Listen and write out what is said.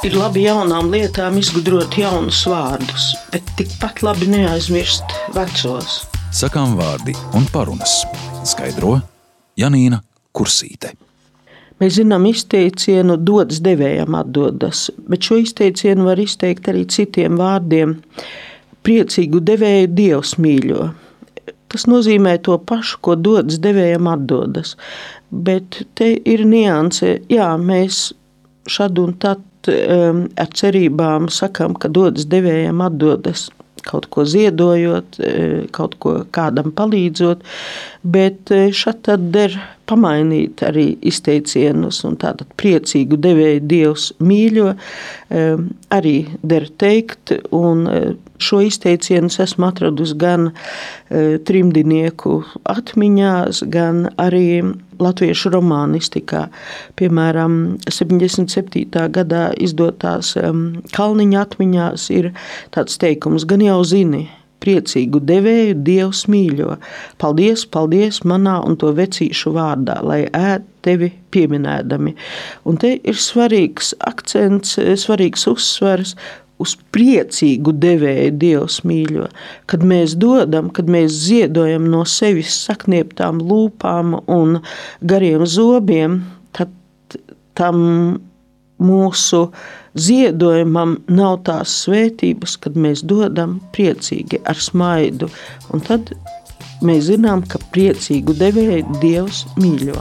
Ir labi jaunām lietām izgudrot jaunus vārdus, bet tikpat labi neaizmirst vecos. Sakām vārdi un parunas. Skaidro Janīna Kursīte. Mēs zinām izteicienu dodas devējam atdodas, bet šo izteicienu var izteikt arī citiem vārdiem. Priecīgu devēju Dievs mīļo. Tas nozīmē to pašu, ko dodas devējam atdodas. Bet te ir nianse, mēs šad un tad ar cerībām sakām, ka dodas devējam atdodas, kaut ko ziedojot, kaut ko kādam palīdzot, bet šad tad der pamainīt arī izteicienus, un tātad priecīgu devēju Dievs mīļo, arī der teikt, un šo izteicienu esmu atradusi gan trimdinieku atmiņās, gan arī latviešu romānistikā. Piemēram, 77. gadā izdotās Kalniņa atmiņās ir tāds teikums, gan jau zini, priecīgu devēju Dievs mīļo. Paldies, paldies manā un to vecīšu vārdā, lai ēd tevi pieminēdami. Un te ir svarīgs akcents, svarīgs uzsvars uz priecīgu devēju Dievs mīļo. Kad mēs dodam, kad mēs ziedojam no sevis saknieptām lūpām un gariem zobiem, tad tam mūsu ziedojumam nav tās svētības, kad mēs dodam priecīgi ar smaidu. Un tad mēs zinām, ka priecīgu devēju Dievs mīļo.